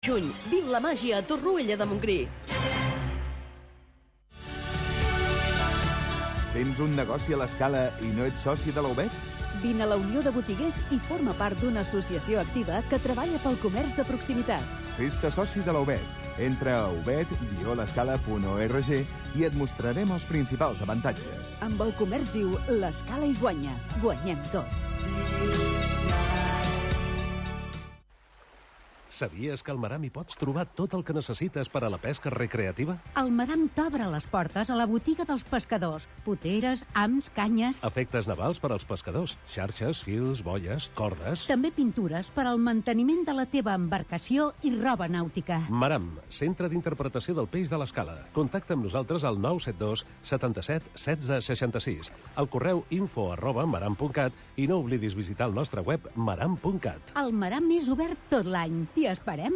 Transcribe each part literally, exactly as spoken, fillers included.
Juny, viu la màgia a Torroella de Montgrí. Tens un negoci a l'Escala i no ets soci de la U B E T? Vine a la Unió de Botiguers i forma part d'una associació activa que treballa pel comerç de proximitat. Fes-te soci de la U B E T. Entra a ubet guió l'escala punt org i et mostrarem els principals avantatges. Amb el comerç viu, l'Escala hi guanya. Guanyem tots. Sabies que al Maram hi pots trobar tot el que necessites per a la pesca recreativa? El Maram t'obre les portes a la botiga dels pescadors. Poteres, hams, canyes... Efectes navals per als pescadors. Xarxes, fils, boies, cordes... També pintures per al manteniment de la teva embarcació i roba nàutica. Maram, centre d'interpretació del peix de l'Escala. Contacta amb nosaltres al nou set dos setanta-set setze seixanta-sis, al correu info arroba maram punt cat i no oblidis visitar el nostre web maram punt cat. El Maram és obert tot l'any. T'hi esperem.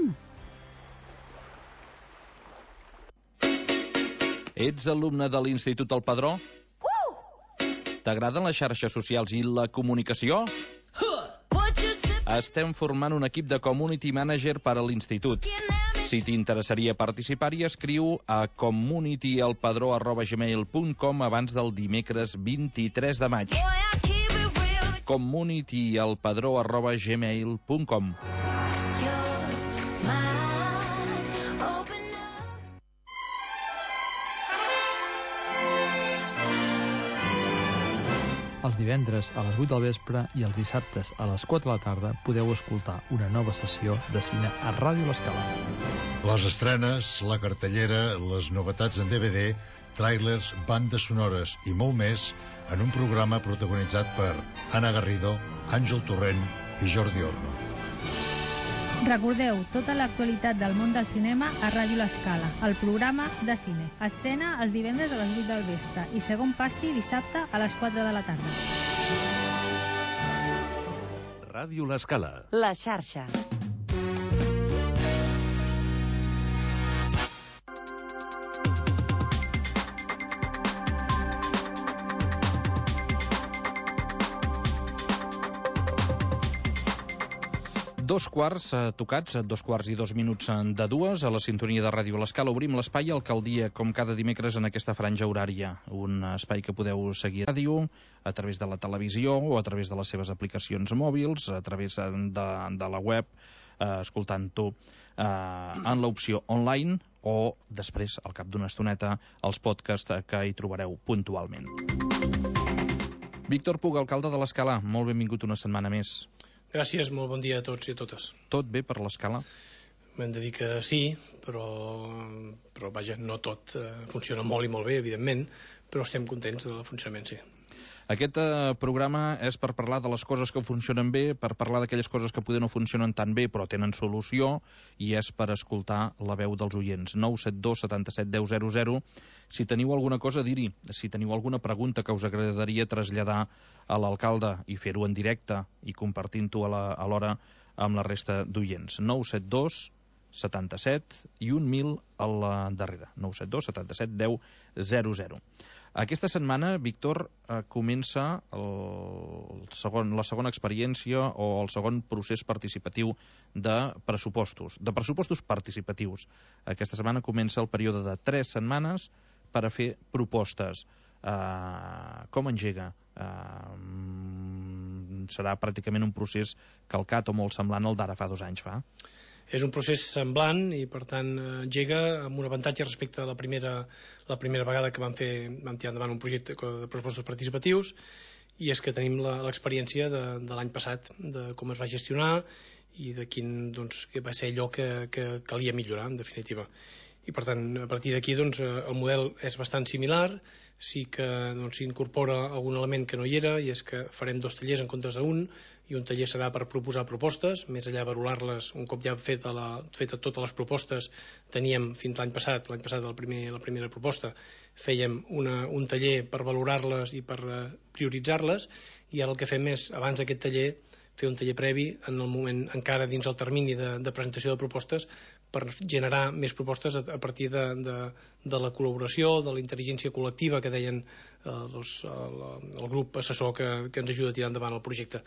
Ets alumne de l'Institut El Padró? Uh! T'agraden les xarxes socials i la comunicació? Estem formant un equip de community manager per a l'institut. Si t'interessaria participar-hi, escriu a communityelpadró arroba gmail punt com abans del dimecres vint-i-tres de maig. communityelpadró arroba gmail punt com. Els divendres a les vuit del vespre i els dissabtes a les quatre de la tarda podeu escoltar una nova sessió de cine a Ràdio l'Escala. Les estrenes, la cartellera, les novetats en D V D, tràilers, bandes sonores i molt més en un programa protagonitzat per Anna Garrido, Àngel Torrent i Jordi Orno. Recordeu tota l'actualitat del món del cinema a Ràdio l'Escala, el programa de cine. Estrena els divendres a les vuit del vespre i segon passi dissabte a les quatre de la tarda. Ràdio l'Escala. La xarxa. Dos quarts eh, tocats, dos quarts i dos minuts de dues, a la sintonia de Ràdio l'Escala obrim l'espai Alcaldia, com cada dimecres en aquesta franja horària. Un espai que podeu seguir a ràdio, a través de la televisió o a través de les seves aplicacions mòbils, a través de, de la web, eh, escoltant-ho eh, en l'opció online o després, al cap d'una estoneta, els podcasts que hi trobareu puntualment. Víctor Puig, alcalde de l'Escala, molt benvingut una setmana més. Gràcies, molt bon dia a tots i a totes. Tot bé per l'Escala? Hem de dir que sí, però, però vaja, no tot eh, funciona molt i molt bé, evidentment, però estem contents del funcionament, sí. Aquest eh, programa és per parlar de les coses que funcionen bé, per parlar d'aquelles coses que poder no funcionen tan bé però tenen solució, i és per escoltar la veu dels oients. nou set dos setanta-set deu zero zero. Si teniu alguna cosa a dir-hi, si teniu alguna pregunta que us agradaria traslladar a l'alcalde i fer-ho en directe i compartint-ho a l'hora amb la resta d'oients. nou set dos setanta-set i un mil a la darrere. nou set dos setanta-set deu zero zero. Aquesta setmana, Víctor, eh, comença el segon, la segona experiència o el segon procés participatiu de pressupostos, de pressupostos participatius. Aquesta setmana comença el període de tres setmanes per a fer propostes. Eh, com engega? Eh, serà pràcticament un procés calcat o molt semblant al d'ara fa dos anys, fa? És un procés semblant i, per tant, engega amb un avantatge respecte a la primera, la primera vegada que vam, fer, vam tirar endavant un projecte de pressupostos participatius, i és que tenim l'experiència de, de l'any passat, de com es va gestionar i de quin doncs, va ser allò que, que calia millorar, en definitiva. I, per tant, a partir d'aquí doncs, el model és bastant similar, sí que doncs, s'incorpora algun element que no hi era, i és que farem dos tallers en comptes d'un, i un taller serà per proposar propostes, més allà valorar-les, un cop ja fet, la, fet totes les propostes, teníem fins l'any passat, l'any passat el primer, la primera proposta, fèiem una, un taller per valorar-les i per uh, prioritzar-les, i ara el que fem és, abans d'aquest taller, fer un taller previ en el moment, encara dins el termini de, de presentació de propostes, per generar més propostes a, a partir de, de, de la col·laboració, de la intel·ligència col·lectiva que deien eh, els, el, el grup assessor que, que ens ajuda a tirar endavant el projecte.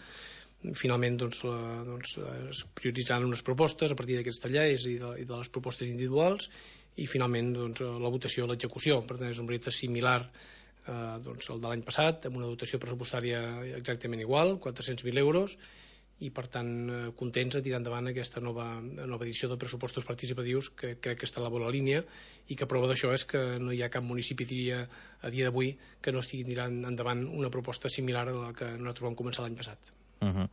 finalment doncs, la, doncs, es prioritzaran unes propostes a partir d'aquests tallers i de, i de les propostes individuals, i finalment doncs, la votació i l'execució. Per tant, és un projecte similar eh, doncs, al de l'any passat, amb una dotació pressupostària exactament igual, quatre-cents mil euros, i per tant eh, contents a tirar endavant aquesta nova, nova edició de pressupostos participatius, que crec que està a la bona línia, i que prova d'això és que no hi ha cap municipi, diria, a dia d'avui, que no estigui tirant endavant una proposta similar a la que nosaltres vam començar l'any passat. Uh -huh.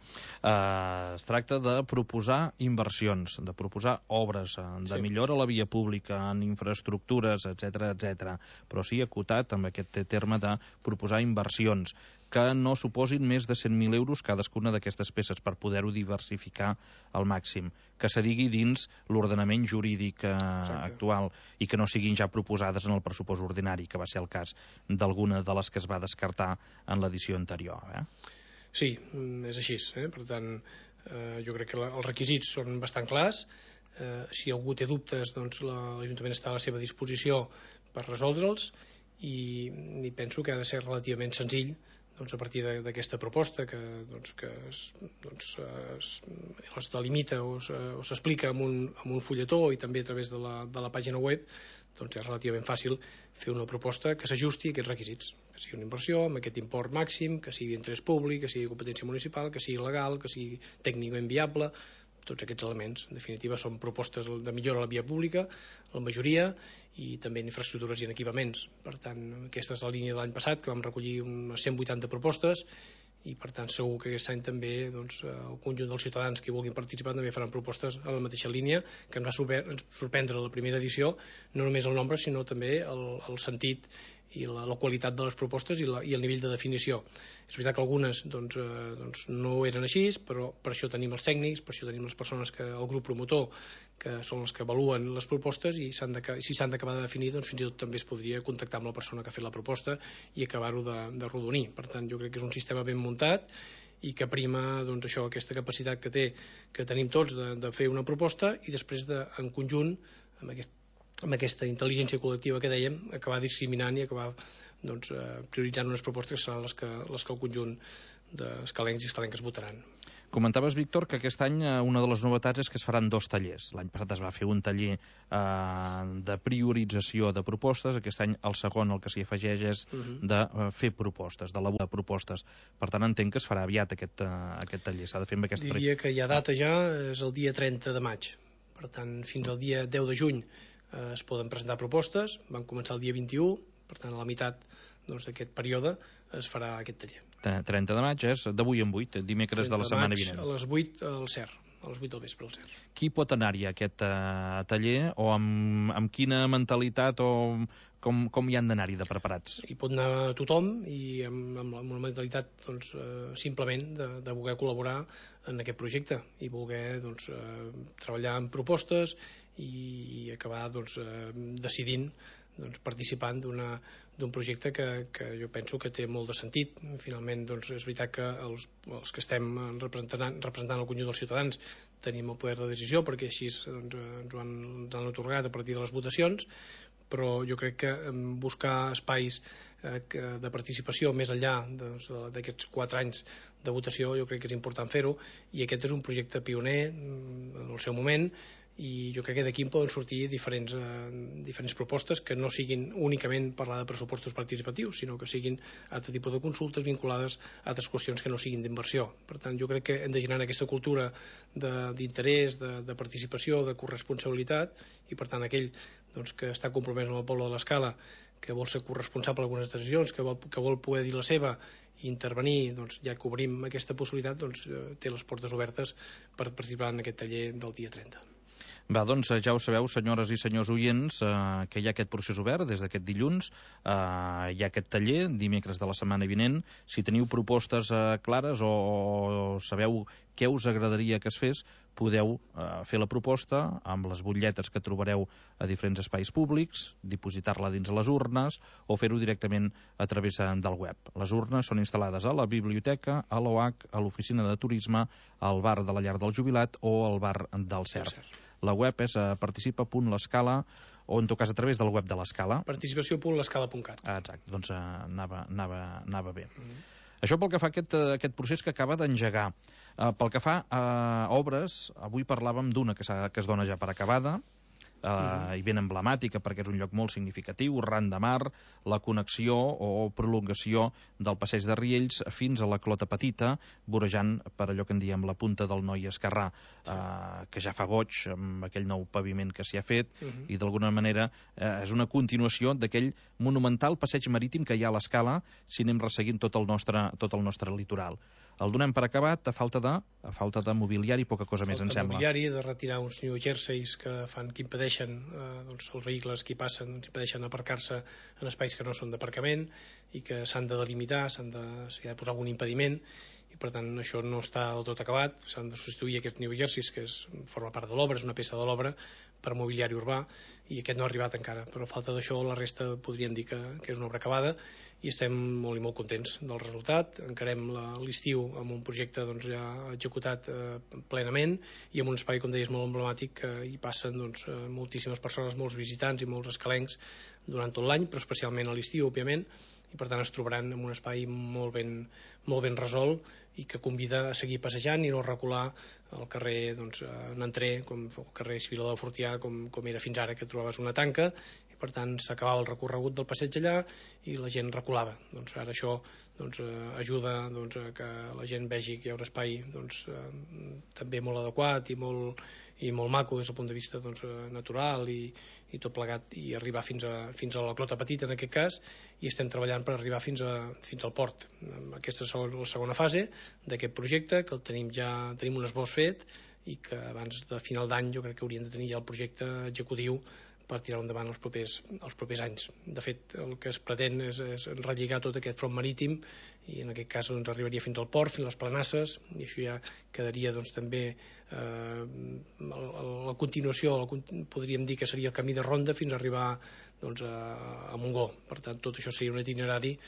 uh, es tracta de proposar inversions, de proposar obres, de sí. millora a la via pública, en infraestructures, etcètera, etcètera, però sí acotat amb aquest terme de proposar inversions que no suposin més de cent mil euros cadascuna d'aquestes peces per poder-ho diversificar al màxim, que se digui dins l'ordenament jurídic eh, actual i que no siguin ja proposades en el pressupost ordinari, que va ser el cas d'alguna de les que es va descartar en l'edició anterior. Eh? Sí, és així. Eh? Per tant, eh, jo crec que la, els requisits són bastant clars. Eh, si algú té dubtes, doncs l'Ajuntament està a la seva disposició per resoldre'ls, i, i penso que ha de ser relativament senzill doncs, a partir d'aquesta proposta que, doncs, que es, doncs, es, es delimita o s'explica amb, un, amb un fulletó i també a través de la, de la pàgina web, doncs és relativament fàcil fer una proposta que s'ajusti a aquests requisits, que sigui una inversió amb aquest import màxim, que sigui d'interès públic, que sigui competència municipal, que sigui legal, que sigui tècnicament viable. Tots aquests elements, en definitiva, són propostes de millora a la via pública, la majoria, i també en infraestructures i en equipaments. Per tant, aquesta és la línia de l'any passat, que vam recollir unes cent vuitanta propostes, i per tant segur que aquest any també doncs, el conjunt dels ciutadans que vulguin participar també faran propostes a la mateixa línia, que em va sorprendre la primera edició, no només el nombre sinó també el, el sentit i la, la qualitat de les propostes i, la, i el nivell de definició. És veritat que algunes doncs, eh, doncs no eren així, però per això tenim els tècnics, per això tenim les persones, que el grup promotor, que són els que avaluen les propostes, i s'han de, si s'han d'acabar de definir, doncs fins i tot també es podria contactar amb la persona que ha fet la proposta i acabar-ho de, de rodonir. Per tant, jo crec que és un sistema ben muntat i que prima doncs, això, aquesta capacitat que té, que tenim tots de, de fer una proposta i després de, en conjunt, amb aquest amb aquesta intel·ligència col·lectiva que dèiem, acabar discriminant i acabar doncs, prioritzant unes propostes que seran les que, les que el conjunt d'escalencs i escalenques votaran. Comentaves, Víctor, que aquest any una de les novetats és que es faran dos tallers. L'any passat es va fer un taller eh, de priorització de propostes, aquest any el segon el que s'hi afegeix és uh-huh. de uh, fer propostes, d'elaborar propostes. Per tant, entenc que es farà aviat aquest, uh, aquest taller. S'ha de fer amb aquesta... Diria que hi ha data ja, és el dia trenta de maig. Per tant, fins al dia deu de juny es poden presentar propostes, van començar el dia vint-i-u, per tant a la meitat doncs, d'aquest període es farà aquest taller. trenta de maig és d'avui en vuit, dimecres de la setmana vinent. A les vuit al C E R, a les vuit del vespre al C E R. Qui pot anar-hi a aquest uh, taller, o amb, amb quina mentalitat, o com, com hi han d'anar-hi de preparats? Hi pot anar tothom, i amb, amb, amb una mentalitat doncs, uh, simplement de, de voler col·laborar en aquest projecte i voler doncs, uh, treballar en propostes i, i acabar doncs, uh, decidint, doncs, participant d'un projecte que, que jo penso que té molt de sentit. Finalment, doncs, és veritat que els, els que estem representant, representant el conjunt dels ciutadans tenim el poder de decisió, perquè així doncs, ens ho han, ens han atorgat a partir de les votacions, però jo crec que buscar espais eh, de participació més enllà d'aquests quatre anys de votació, jo crec que és important fer-ho, i aquest és un projecte pioner en el seu moment, i jo crec que d'aquí en poden sortir diferents, eh, diferents propostes que no siguin únicament parlar de pressupostos participatius, sinó que siguin altre tipus de consultes vinculades a altres qüestions que no siguin d'inversió. Per tant, jo crec que hem de generar aquesta cultura d'interès, de, de, de participació, de corresponsabilitat, i per tant aquell doncs, que està compromès amb el poble de l'Escala, que vol ser corresponsable d'algunes decisions, que vol, que vol poder dir la seva i intervenir, doncs, ja que obrim aquesta possibilitat, doncs, té les portes obertes per participar en aquest taller del dia trenta. Va, doncs ja ho sabeu, senyores i senyors oients, eh, que hi ha aquest procés obert des d'aquest dilluns, eh, hi ha aquest taller dimecres de la setmana vinent. Si teniu propostes eh, clares o, o sabeu què us agradaria que es fes, podeu eh, fer la proposta amb les butlletes que trobareu a diferents espais públics, dipositar-la dins les urnes o fer-ho directament a través del web. Les urnes són instal·lades a la biblioteca, a l'O H, a l'oficina de turisme, al bar de la Llar del Jubilat o al bar del C E R. La web és uh, participa punt l'escala, o en tot cas a través del web de l'Escala. Participació punt l'escala punt cat. Ah, exacte, doncs uh, anava, anava, anava bé. Mm -hmm. Això pel que fa a aquest, aquest procés que acaba d'engegar. Uh, pel que fa a obres, avui parlàvem d'una que, que es dona ja per acabada, Uh, mm-hmm. i ben emblemàtica perquè és un lloc molt significatiu, ran de mar, la connexió o prolongació del passeig de Riells fins a la Clota Petita, vorejant per allò que en diem la punta del Noi Esquerrà, sí. uh, que ja fa goig amb aquell nou paviment que s'hi ha fet, mm-hmm. i d'alguna manera uh, és una continuació d'aquell monumental passeig marítim que hi ha a l'Escala si anem resseguint tot el nostre, tot el nostre litoral. El donem per acabat a falta de, a falta de mobiliari, poca cosa més, em sembla. Mobiliari, de retirar uns new jerseys que fan que impedeixen eh, doncs, els vehicles que hi passen, doncs, impedeixen aparcar-se en espais que no són d'aparcament i que s'han de delimitar, s'han de, s'hi ha de posar algun impediment, i per tant això no està del tot acabat, s'han de substituir aquests new jerseys, que és, forma part de l'obra, és una peça de l'obra per mobiliari urbà, i aquest no ha arribat encara, però a falta d'això la resta podríem dir que, que és una obra acabada, i estem molt i molt contents del resultat. Encarem l'estiu amb un projecte doncs, ja executat eh, plenament i amb un espai, com deies, molt emblemàtic, que hi passen doncs, moltíssimes persones, molts visitants i molts escalencs durant tot l'any, però especialment a l'estiu, òbviament, i per tant es trobaran en un espai molt ben, molt ben resolt i que convida a seguir passejant i no recular al carrer doncs, en entrer, com el carrer Civil de Fortià, com, com era fins ara, que trobaves una tanca, i per tant s'acabava el recorregut del passeig allà i la gent reculava. Doncs ara això doncs, ajuda doncs, a que la gent vegi que hi ha un espai doncs, també molt adequat i molt, i molt maco des del punt de vista doncs, natural i, i tot plegat, i arribar fins a, fins a la Clota Petita en aquest cas, i estem treballant per arribar fins, a, fins al port. Aquesta és la segona fase d'aquest projecte, que el tenim ja tenim un esbós fet i que abans de final d'any jo crec que hauríem de tenir ja el projecte executiu per tirar endavant els propers, els propers anys. De fet, el que es pretén és, és relligar tot aquest front marítim i en aquest cas doncs, arribaria fins al port, fins a les Planasses, i això ja quedaria doncs, també eh, la continuació, podríem dir que seria el camí de ronda fins a arribar doncs, a, a Montgó. Per tant, tot això seria un itinerari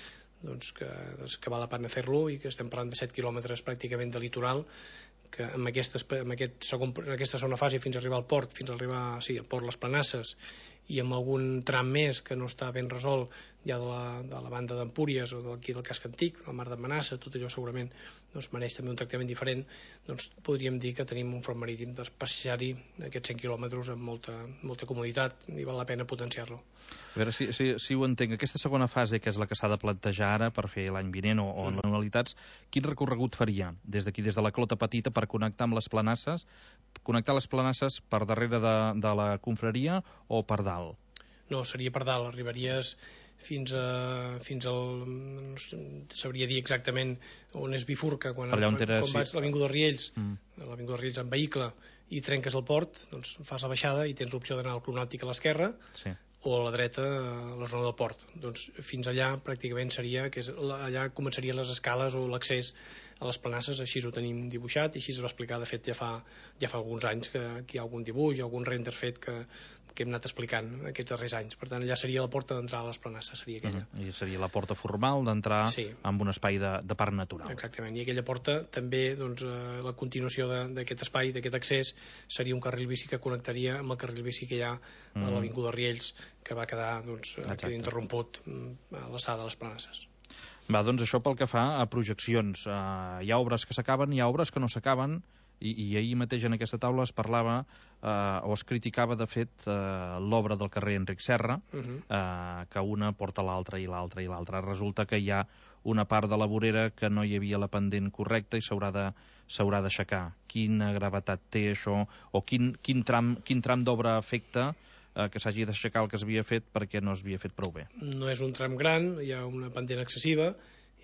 doncs, que, doncs, que val la pena fer-lo i que estem parlant de set quilòmetres pràcticament de litoral, que amb, aquestes, amb aquest segon, en aquesta segona fase fins a arribar al port, fins a arribar sí, al port Les Planasses, i amb algun tram més que no està ben resolt ja de la, de la banda d'Empúries o d'aquí del casc antic, el mar d'Amenaça, tot allò segurament doncs, mereix també un tractament diferent, doncs podríem dir que tenim un front marítim de passejar-hi aquests cent quilòmetres amb molta, molta comoditat i val la pena potenciar-lo. A veure si, si, si ho entenc, aquesta segona fase, que és la que s'ha de plantejar ara per fer l'any vinent o, o en mm. anualitats, quin recorregut faria des d'aquí, des de la Clota Petita, per connectar amb les Planasses, connectar les Planasses per darrere de, de la confraria o per dalt? No, seria per dalt, arribaries fins a fins al no sabria dir exactament on es bifurca quan, allà on era, quan vas sí. a l'Avinguda Riells mm. a l'Avinguda Riells en vehicle i trenques el port, doncs fas la baixada i tens l'opció d'anar al Cronòptic a l'esquerra sí. o a la dreta a la zona del port. Doncs fins allà pràcticament seria que és, allà començarien les escales o l'accés a les Planasses, així ho tenim dibuixat i així es va explicar, de fet ja fa, ja fa alguns anys que aquí hi ha algun dibuix, algun render fet que, que hem anat explicant aquests darrers anys. Per tant, allà seria la porta d'entrada a les Planasses, seria aquella. Uh -huh. I seria la porta formal d'entrar sí. amb un espai de, de parc natural. Exactament, i aquella porta també, doncs, eh, la continuació d'aquest espai, d'aquest accés, seria un carril bici que connectaria amb el carril bici que hi ha uh -huh. a l'Avinguda Riells, que va quedar doncs, queda interromput a l'alçada de les Planasses. Va, doncs això pel que fa a projeccions. Uh, hi ha obres que s'acaben, hi ha obres que no s'acaben, i, i ahir mateix en aquesta taula es parlava uh, o es criticava, de fet, uh, l'obra del carrer Enric Serra, uh -huh. uh, que una porta l'altra i l'altra i l'altra. Resulta que hi ha una part de la vorera que no hi havia la pendent correcta i s'haurà de s'haurà d'aixecar. Quina gravetat té això? O quin, quin tram, quin tram d'obra afecta eh, que s'hagi d'aixecar el que s'havia fet perquè no s'havia fet prou bé? No és un tram gran, hi ha una pendent excessiva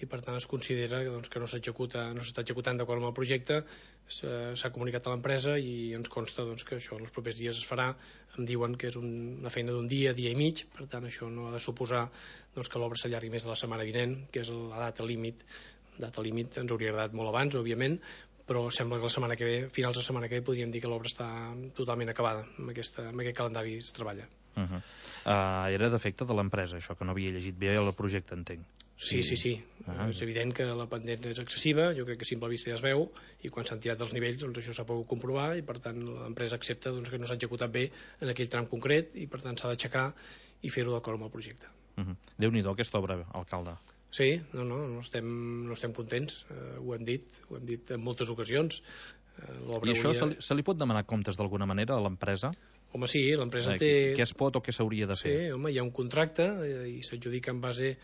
i per tant es considera doncs, que no s'executa, no s'està executant d'acord amb el projecte. S'ha comunicat a l'empresa i ens consta doncs, que això en els propers dies es farà. Em diuen que és un, una feina d'un dia, dia i mig, per tant això no ha de suposar doncs, que l'obra s'allargui més de la setmana vinent, que és la data límit. Data límit ens hauria agradat molt abans, òbviament, però sembla que la setmana que ve, finals de setmana que ve, podríem dir que l'obra està totalment acabada, amb, aquesta, amb aquest calendari es treballa. Uh -huh. uh, era defecte de l'empresa, això, que no havia llegit bé el projecte, entenc. Sí, sí, sí. Uh-huh. És evident que la pendent és excessiva, jo crec que a simple vista ja es veu, i quan s'han tirat els nivells, doncs això s'ha pogut comprovar, i per tant l'empresa accepta doncs, que no s'ha executat bé en aquell tram concret, i per tant s'ha d'aixecar i fer-ho d'acord amb el projecte. Uh-huh. Déu-n'hi-do aquesta obra, alcalde. Sí, no, no, no estem, no estem contents, uh, ho hem dit, ho hem dit en moltes ocasions. Uh, I això hauria... se, li, se li pot demanar comptes d'alguna manera a l'empresa? Home, sí, l'empresa eh, té... Què es pot o què s'hauria de fer? Sí, home, hi ha un contracte i s'adjudica en base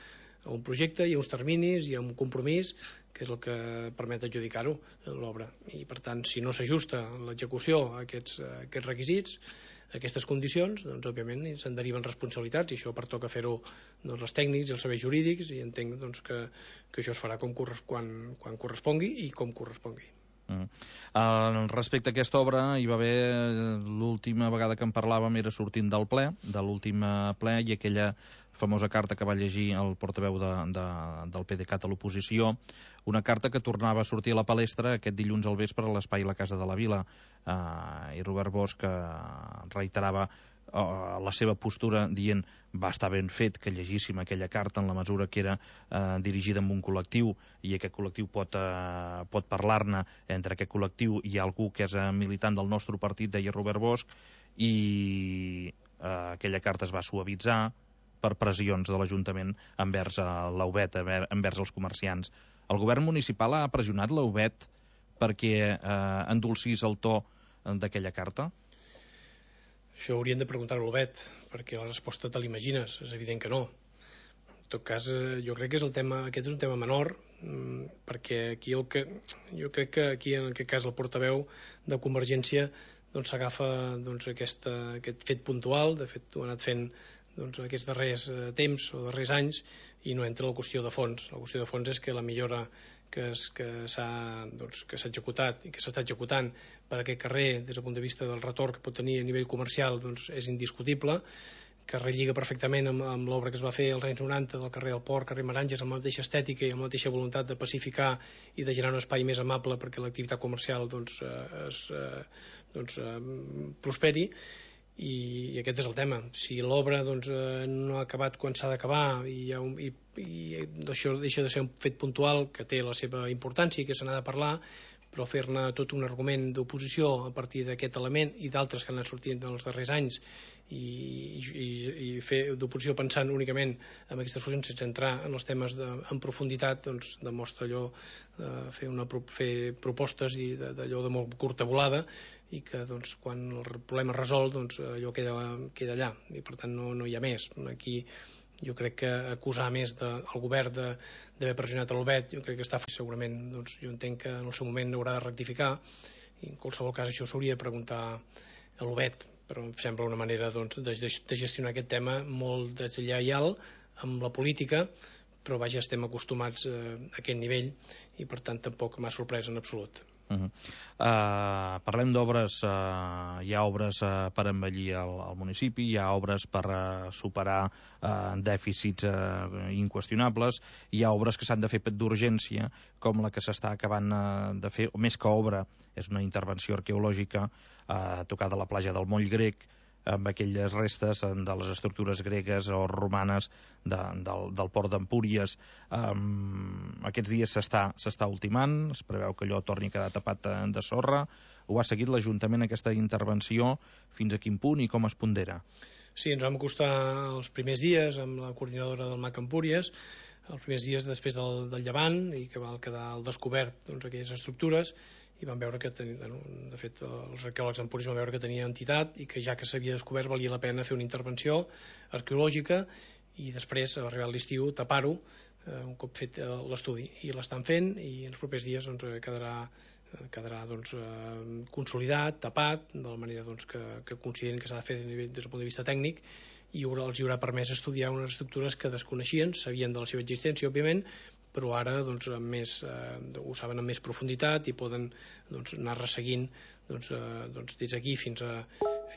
a un projecte, hi ha uns terminis, hi ha un compromís, que és el que permet adjudicar-ho, l'obra. I, per tant, si no s'ajusta l'execució a aquests, a aquests requisits, a aquestes condicions, doncs, òbviament, se'n deriven responsabilitats, i això pertoca fer-ho doncs, els tècnics i els serveis jurídics, i entenc doncs, que, que això es farà com corres, quan, quan correspongui i com correspongui. Mm. Uh, respecte a aquesta obra, hi va haver l'última vegada que en parlàvem era sortint del ple, de l'últim ple, i aquella famosa carta que va llegir el portaveu de, de, del PDeCAT a l'oposició, una carta que tornava a sortir a la palestra aquest dilluns al vespre a l'espai La Casa de la Vila, uh, i Robert Bosch uh, reiterava uh, la seva postura dient va estar ben fet que llegíssim aquella carta en la mesura que era uh, dirigida amb un col·lectiu i aquest col·lectiu pot, uh, pot parlar-ne. Entre aquest col·lectiu hi ha algú que és uh, militant del nostre partit, deia Robert Bosch, i uh, aquella carta es va suavitzar per pressions de l'Ajuntament envers uh, l'A U B E T, envers els comerciants. El govern municipal ha pressionat l'A U B E T perquè eh, endolcís el to d'aquella carta? Això haurien de preguntar a l'A U B E T, perquè la resposta te l'imagines, és evident que no. En tot cas, eh, jo crec que és el tema, aquest és un tema menor, mmm, perquè aquí el que, jo crec que aquí en aquest cas el portaveu de Convergència doncs s'agafa doncs, aquesta, aquest fet puntual, de fet ho ha anat fent doncs, aquests darrers eh, temps o darrers anys, i no entra la qüestió de fons. La qüestió de fons és que la millora que, es, que s'ha doncs, que s'ha executat i que s'està executant per aquest carrer des del punt de vista del retorn que pot tenir a nivell comercial doncs, és indiscutible, que relliga perfectament amb, amb l'obra que es va fer als anys noranta del carrer del Port, carrer Meranges, amb la mateixa estètica i amb la mateixa voluntat de pacificar i de generar un espai més amable perquè l'activitat comercial doncs, eh, es, eh, doncs, eh, prosperi. I, i aquest és el tema. Si l'obra doncs, eh, no ha acabat quan s'ha d'acabar i, hi ha un, i, i això deixa de ser un fet puntual que té la seva importància i que se n'ha de parlar, però fer-ne tot un argument d'oposició a partir d'aquest element i d'altres que han anat sortint en els darrers anys i, i, i fer d'oposició pensant únicament en aquestes fusions sense entrar en els temes de, en profunditat doncs demostra allò de fer, una, fer propostes i d'allò de molt curta volada i que doncs, quan el problema es resol doncs, allò queda, queda allà i per tant no, no hi ha més. Aquí jo crec que acusar més del govern d'haver pressionat l'A U B E T jo crec que està segurament, doncs, jo entenc que en el seu moment haurà de rectificar i en qualsevol cas això s'hauria de preguntar a l'A U B E T, però em sembla una manera doncs, de, de gestionar aquest tema molt deslleial amb la política, però vaja, estem acostumats a aquest nivell i per tant tampoc m'ha sorprès en absolut. Uh -huh. uh, parlem d'obres, uh, hi ha obres uh, per embellir el, el municipi, hi ha obres per uh, superar uh, dèficits uh, inqüestionables, hi ha obres que s'han de fer d'urgència, com la que s'està acabant uh, de fer, o més que obra, és una intervenció arqueològica uh, tocada a la platja del Moll Grec, amb aquelles restes de les estructures gregues o romanes de, del, del port d'Empúries. Um, aquests dies s'està s'està ultimant, es preveu que allò torni a quedar tapat de sorra. Ho ha seguit l'Ajuntament aquesta intervenció, fins a quin punt i com es pondera? Sí, ens vam acostar els primers dies amb la coordinadora del M A C Empúries, els primers dies després del, del llevant i que va quedar al descobert doncs, aquelles estructures i vam veure que, ten... de fet, els arqueòlegs empúries van veure que tenia entitat i que ja que s'havia descobert valia la pena fer una intervenció arqueològica i després, arribat l'estiu, tapar-ho eh, un cop fet l'estudi. I l'estan fent i en els propers dies doncs, quedarà, quedarà doncs, eh, consolidat, tapat, de la manera doncs, que, que consideren que s'ha de fer des del punt de vista tècnic i els hi haurà permès estudiar unes estructures que desconeixien, sabien de la seva existència, òbviament, però ara doncs, més, eh, ho saben amb més profunditat i poden doncs, anar resseguint doncs, eh, doncs, des d'aquí fins a,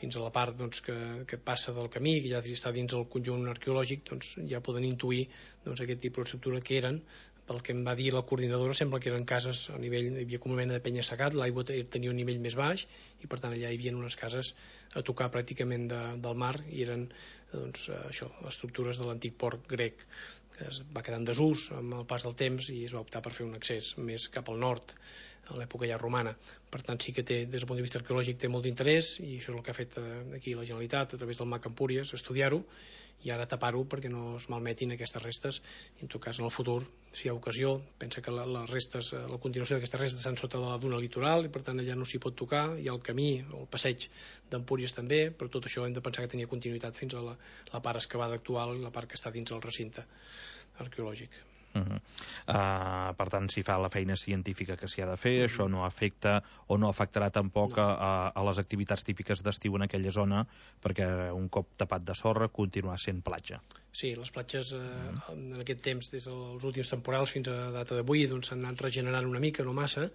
fins a la part doncs, que, que passa del camí, que ja està dins el conjunt arqueològic, doncs, ja poden intuir doncs, aquest tipus d'estructura que eren. Pel que em va dir la coordinadora, sembla que eren cases a nivell, hi havia com una mena de penya-segat, l'aigua tenia un nivell més baix i per tant allà hi havia unes cases a tocar pràcticament de, del mar i eren doncs, això, estructures de l'antic port grec que es va quedar en desús amb el pas del temps i es va optar per fer un accés més cap al nord. a l'època ja romana. Per tant, sí que té, des del punt de vista arqueològic, té molt d'interès, i això és el que ha fet aquí la Generalitat, a través del MAC Empúries, estudiar-ho, i ara tapar-ho perquè no es malmetin aquestes restes, i en tot cas en el futur, si hi ha ocasió, pensa que la, les restes, la continuació d'aquestes restes estan sota de la duna litoral, i per tant allà no s'hi pot tocar, hi ha el camí, el passeig d'Empúries també, però tot això hem de pensar que tenia continuïtat fins a la, la part excavada actual i la part que està dins el recinte arqueològic. Uh -huh. uh, per tant, si fa la feina científica que s'hi ha de fer, uh -huh. això no afecta o no afectarà tampoc no. a, a les activitats típiques d'estiu en aquella zona, perquè un cop tapat de sorra continuarà sent platja. Sí, les platges eh, uh -huh. en aquest temps, des dels últims temporals fins a data d'avui, doncs s'han anat regenerant una mica, no massa,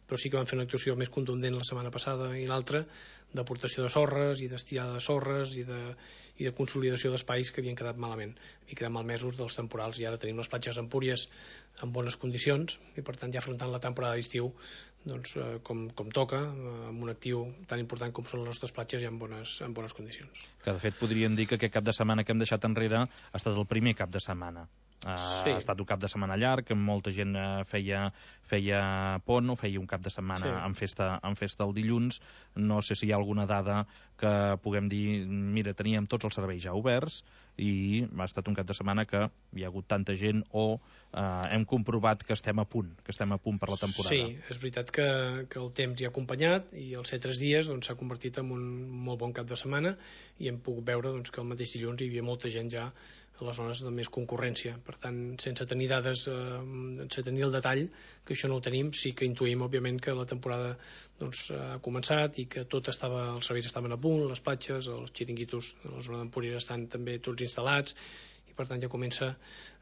però sí que van fer una actuació més contundent la setmana passada i l'altra, d'aportació de sorres i d'estirada de sorres i de, i de consolidació d'espais que havien quedat malament, havien quedat malmesos dels temporals, i ara tenim les platges d'Empúries en bones condicions, i per tant ja afrontant la temporada d'estiu doncs, eh, com, com toca, eh, amb un actiu tan important com són les nostres platges, ja en bones, en bones condicions. Que de fet podríem dir que aquest cap de setmana que hem deixat enrere ha estat el primer cap de setmana. Uh, sí. Ha estat un cap de setmana llarg, molta gent uh, feia, feia pont o feia un cap de setmana sí. en, festa, en festa el dilluns. No sé si hi ha alguna dada que puguem dir, mira, teníem tots els serveis ja oberts i ha estat un cap de setmana que hi ha hagut tanta gent o uh, hem comprovat que estem a punt, que estem a punt per la temporada. Sí, és veritat que, que el temps hi ha acompanyat i els set tres dies doncs, s'ha convertit en un molt bon cap de setmana i hem pogut veure doncs, que el mateix dilluns hi havia molta gent ja a les zones de més concurrència. Per tant, sense tenir dades, eh, sense tenir el detall, que això no ho tenim, sí que intuïm, òbviament, que la temporada doncs, ha començat i que tot estava, els serveis estaven a punt, les platges, els xiringuitos de la zona d'Empúries estan també tots instal·lats, i per tant ja comença,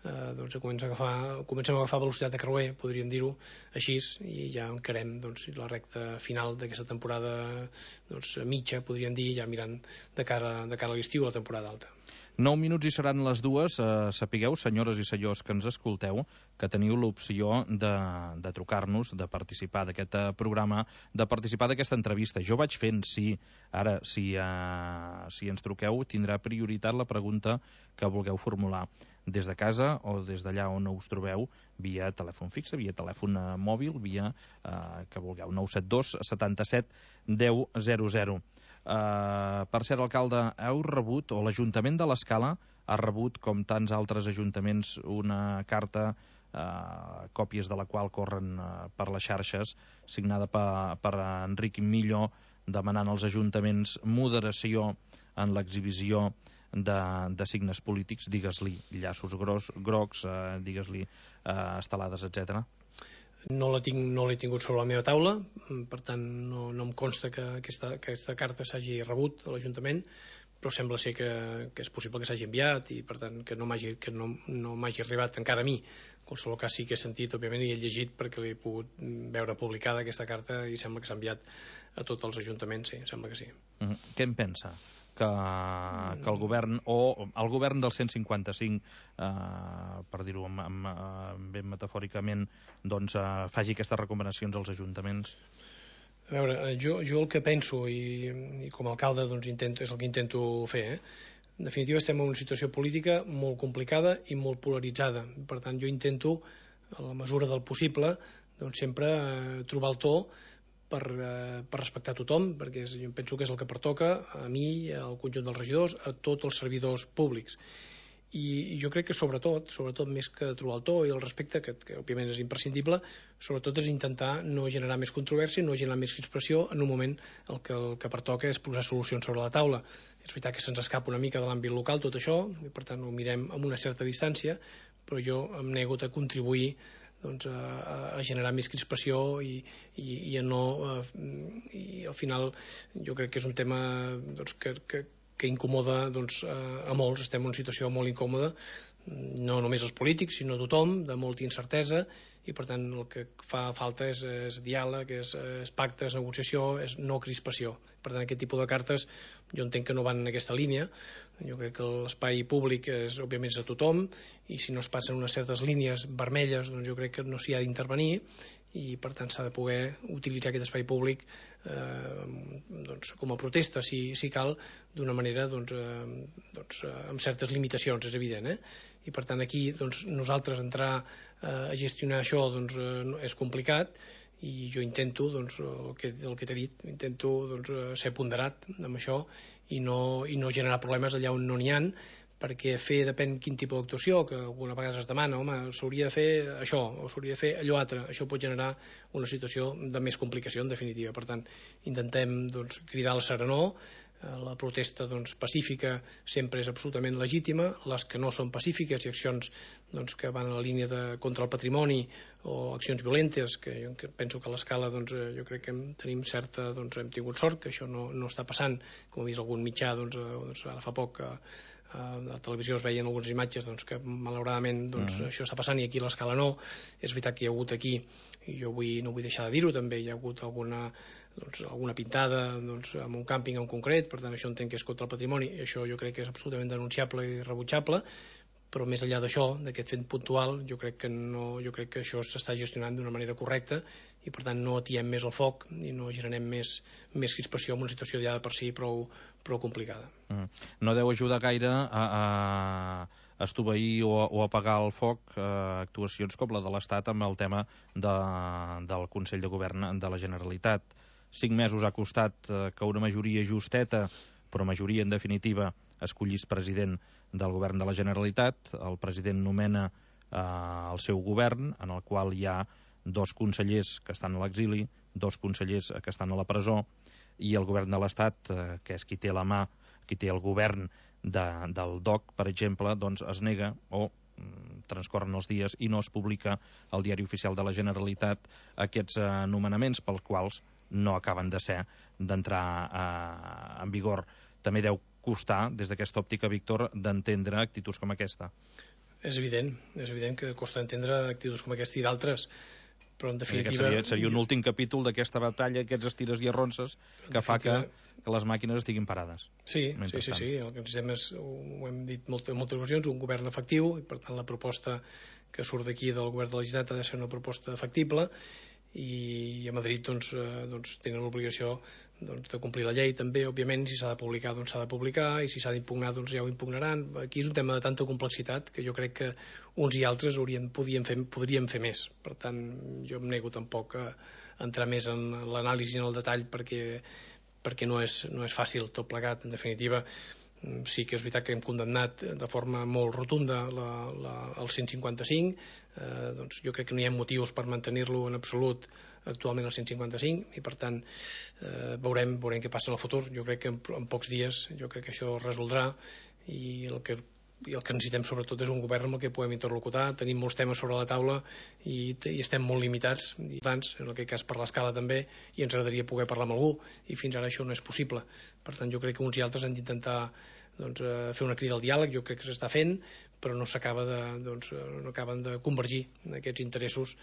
eh, doncs, ja comença a agafar, comencem a agafar velocitat de creuer, podríem dir-ho així, i ja encarem doncs, la recta final d'aquesta temporada doncs, mitja, podríem dir, ja mirant de cara, de cara a l'estiu, la temporada alta. Nou minuts i seran les dues. Eh, sapigueu, senyores i senyors que ens escolteu, que teniu l'opció de, de trucar-nos, de participar d'aquest programa, de participar d'aquesta entrevista. Jo vaig fent, sí. Ara, si, eh, si ens truqueu, tindrà prioritat la pregunta que vulgueu formular des de casa o des d'allà on us trobeu, via telèfon fixe, via telèfon eh, mòbil, via eh, que vulgueu, nou set dos setanta-set deu zero zero. Uh, per cert, alcalde, heu rebut, o l'Ajuntament de l'Escala ha rebut, com tants altres ajuntaments, una carta, uh, còpies de la qual corren uh, per les xarxes, signada per, per Enric Millo, demanant als ajuntaments moderació en l'exhibició de, de signes polítics, digues-li llaços gros, grocs, uh, digues-li uh, estelades, etcètera. No l'he tinc, no tingut sobre la meva taula, per tant no, no em consta que aquesta, que aquesta carta s'hagi rebut a l'Ajuntament, però sembla ser que, que és possible que s'hagi enviat i per tant que no m'hagi que no, no m'hagi arribat encara a mi. En qualsevol cas sí que he sentit, òbviament, i he llegit perquè l'he pogut veure publicada aquesta carta i sembla que s'ha enviat a tots els ajuntaments, sí, sembla que sí. Mm-hmm. Què en pensa? Que, que el govern, o el govern del cent cinquanta-cinc, eh, per dir-ho amb, amb, amb, ben metafòricament, doncs eh, faci aquestes recomanacions als ajuntaments? A veure, jo, jo el que penso, i, i com a alcalde doncs, intento, és el que intento fer, eh? En definitiva estem en una situació política molt complicada i molt polaritzada. Per tant, jo intento, a la mesura del possible, doncs, sempre eh, trobar el to per, eh, per respectar tothom, perquè és, jo penso que és el que pertoca a mi, al conjunt dels regidors, a tots els servidors públics. I, i jo crec que sobretot, sobretot més que trobar el to i el respecte, que, que òbviament és imprescindible, sobretot és intentar no generar més controvèrsia, no generar més crispació en un moment el que, el que pertoca és posar solucions sobre la taula. És veritat que se'ns escapa una mica de l'àmbit local tot això, i per tant ho mirem amb una certa distància, però jo em nego a contribuir doncs, a, a generar més crispació i, i, i a no a, i al final jo crec que és un tema doncs, que, que, que incomoda doncs, a, a molts, estem en una situació molt incòmoda, no només els polítics sinó tothom, de molta incertesa, i per tant el que fa falta és, és diàleg, és, és pacte, és negociació, és no crispació. Per tant aquest tipus de cartes jo entenc que no van en aquesta línia. Jo crec que l'espai públic és, òbviament és a tothom, i si no es passen unes certes línies vermelles doncs jo crec que no s'hi ha d'intervenir, i per tant s'ha de poder utilitzar aquest espai públic eh, doncs, com a protesta si, si cal, d'una manera doncs, eh, doncs, amb certes limitacions, és evident, eh? I per tant aquí doncs, nosaltres entrar eh, a gestionar això doncs, eh, és complicat, i jo intento, doncs, el que, el que t'he dit, intento doncs, ser ponderat amb això i no, i no generar problemes allà on no n'hi ha, perquè fer depèn quin tipus d'actuació, que alguna vegada es demana, home, s'hauria de fer això, o s'hauria de fer allò altre, això pot generar una situació de més complicació, en definitiva. Per tant, intentem doncs, cridar la serenor, la protesta doncs, pacífica sempre és absolutament legítima, les que no són pacífiques i accions doncs, que van a la línia de contra el patrimoni o accions violentes, que jo penso que a l'escala doncs, jo crec que hem, tenim certa, doncs, hem tingut sort, que això no, no està passant, com ha vist algun mitjà doncs, doncs, ara fa poc que a la televisió es veien algunes imatges doncs, que malauradament doncs, uh -huh. això està passant i aquí a l'escala no. És veritat que hi ha hagut aquí, i jo vull, no vull deixar de dir-ho també, hi ha hagut alguna, doncs, alguna pintada doncs, en un càmping en concret, per tant això entenc que és contra el patrimoni, i això jo crec que és absolutament denunciable i rebutjable, però més enllà d'això, d'aquest fet puntual, jo crec que no, jo crec que això s'està gestionant d'una manera correcta i per tant no atiem més el foc i no generem més, més crispació en una situació ja de per si prou, prou complicada. Mm. No deu ajudar gaire a, a estoveir o, o apagar el foc eh, actuacions com la de l'Estat amb el tema de, del Consell de Govern de la Generalitat. Cinc mesos ha costat eh, que una majoria justeta, però majoria en definitiva, escollís president del govern de la Generalitat. El president nomena eh, el seu govern, en el qual hi ha dos consellers que estan a l'exili, dos consellers que estan a la presó, i el govern de l'Estat, eh, que és qui té la mà, qui té el govern de, del D O C, per exemple, doncs es nega o mm, transcorren els dies i no es publica al Diari Oficial de la Generalitat aquests eh, nomenaments pels quals no acaben de ser d'entrar eh, en vigor. També deu costar, des d'aquesta òptica, Víctor, d'entendre actituds com aquesta. És evident, és evident que costa entendre actituds com aquesta i d'altres, però en definitiva... Seria, seria un últim capítol d'aquesta batalla, aquests estires i arronses, que fa que, que les màquines estiguin parades. Sí, sí, sí, sí, el que necessitem és, ho hem dit moltes, moltes ocasions, un govern efectiu, i per tant la proposta que surt d'aquí del govern de la Generalitat ha de ser una proposta factible, i a Madrid doncs, eh, doncs tenen l'obligació doncs, de complir la llei també, òbviament, si s'ha de publicar doncs s'ha de publicar, i si s'ha d'impugnar doncs ja ho impugnaran. Aquí és un tema de tanta complexitat que jo crec que uns i altres haurien, podien fer, podríem fer més. Per tant, jo em nego tampoc a entrar més en l'anàlisi, en el detall, perquè, perquè no és, no és fàcil tot plegat. En definitiva, sí que és veritat que hem condemnat de forma molt rotunda la, la, el cent cinquanta-cinc, eh, doncs jo crec que no hi ha motius per mantenir-lo en absolut actualment el cent cinquanta-cinc, i per tant eh, veurem, veurem què passa en el futur. Jo crec que en, en pocs dies jo crec que això es resoldrà, i el que i el que necessitem sobretot és un govern amb el que podem interlocutar. Tenim molts temes sobre la taula i, i estem molt limitats, i tants, en aquest cas per l'escala també, i ens agradaria poder parlar amb algú, i fins ara això no és possible. Per tant, jo crec que uns i altres han d'intentar doncs, fer una crida al diàleg, jo crec que s'està fent, però no s'acaba de, doncs, no acaben de convergir aquests interessos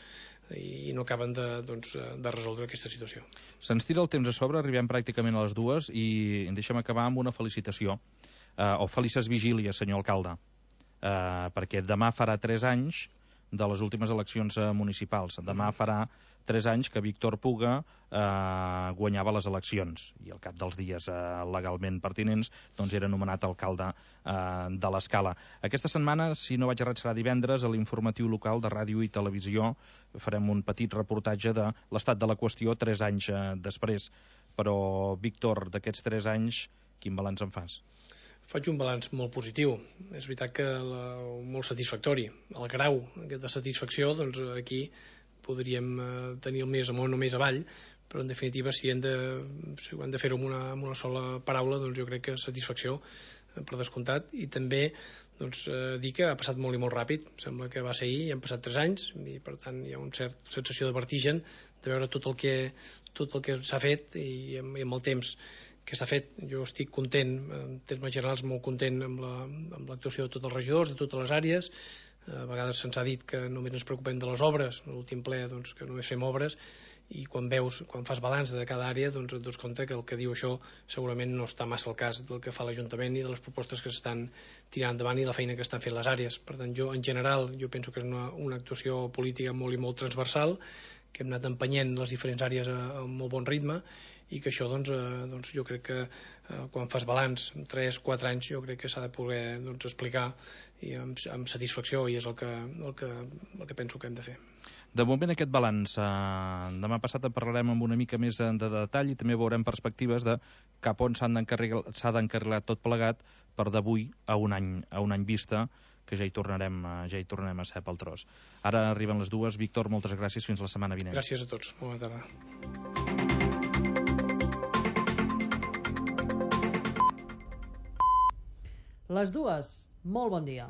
i no acaben de, doncs, de resoldre aquesta situació. Se'ns tira el temps a sobre, arribem pràcticament a les dues, i deixem acabar amb una felicitació. Uh, o felices vigílies, senyor alcalde, uh, perquè demà farà tres anys de les últimes eleccions uh, municipals. Demà farà tres anys que Víctor Puga uh, guanyava les eleccions, i al cap dels dies uh, legalment pertinents doncs era nomenat alcalde uh, de l'Escala. Aquesta setmana, si no vaig errat, serà divendres, a l'informatiu local de ràdio i televisió farem un petit reportatge de l'estat de la qüestió tres anys uh, després. Però, Víctor, d'aquests tres anys, quin balanç en fas? Faig un balanç molt positiu. És veritat que la, molt satisfactori. El grau de satisfacció, doncs aquí podríem eh, tenir el més amunt o més avall, però en definitiva si hem de, si hem de fer-ho amb, una, amb una sola paraula, doncs jo crec que satisfacció eh, per descomptat, i també doncs, eh, dir que ha passat molt i molt ràpid. Sembla que va ser ahir i han passat tres anys, i per tant hi ha una certa sensació de vertigen de veure tot el que, tot el que s'ha fet i amb, i amb el temps que s'ha fet. Jo estic content, en termes generals molt content amb l'actuació la, amb de tots els regidors, de totes les àrees. A vegades se'ns ha dit que només ens preocupem de les obres, a l'últim ple doncs, que només fem obres, i quan veus, quan fas balanç de cada àrea doncs et dones compte que el que diu això segurament no està massa al cas del que fa l'Ajuntament i de les propostes que s'estan tirant endavant i la feina que estan fent les àrees. Per tant, jo en general jo penso que és una, una actuació política molt i molt transversal, que hem anat empenyent les diferents àrees a, a molt bon ritme, i que això doncs, eh, doncs jo crec que eh, quan fas balanç tres o quatre anys jo crec que s'ha de poder doncs, explicar i amb, amb satisfacció, i és el que, el, que, el que penso que hem de fer. De moment aquest balanç, eh, demà passat en parlarem amb una mica més de detall i també veurem perspectives de cap on s'ha d'encarrilar tot plegat per d'avui a un any, a un any vista, que ja hi tornarem, ja hi tornarem a ser pel tros. Ara arriben les dues. Víctor, moltes gràcies, fins la setmana vinent. Gràcies a tots, bona tarda. Les dues, molt bon dia.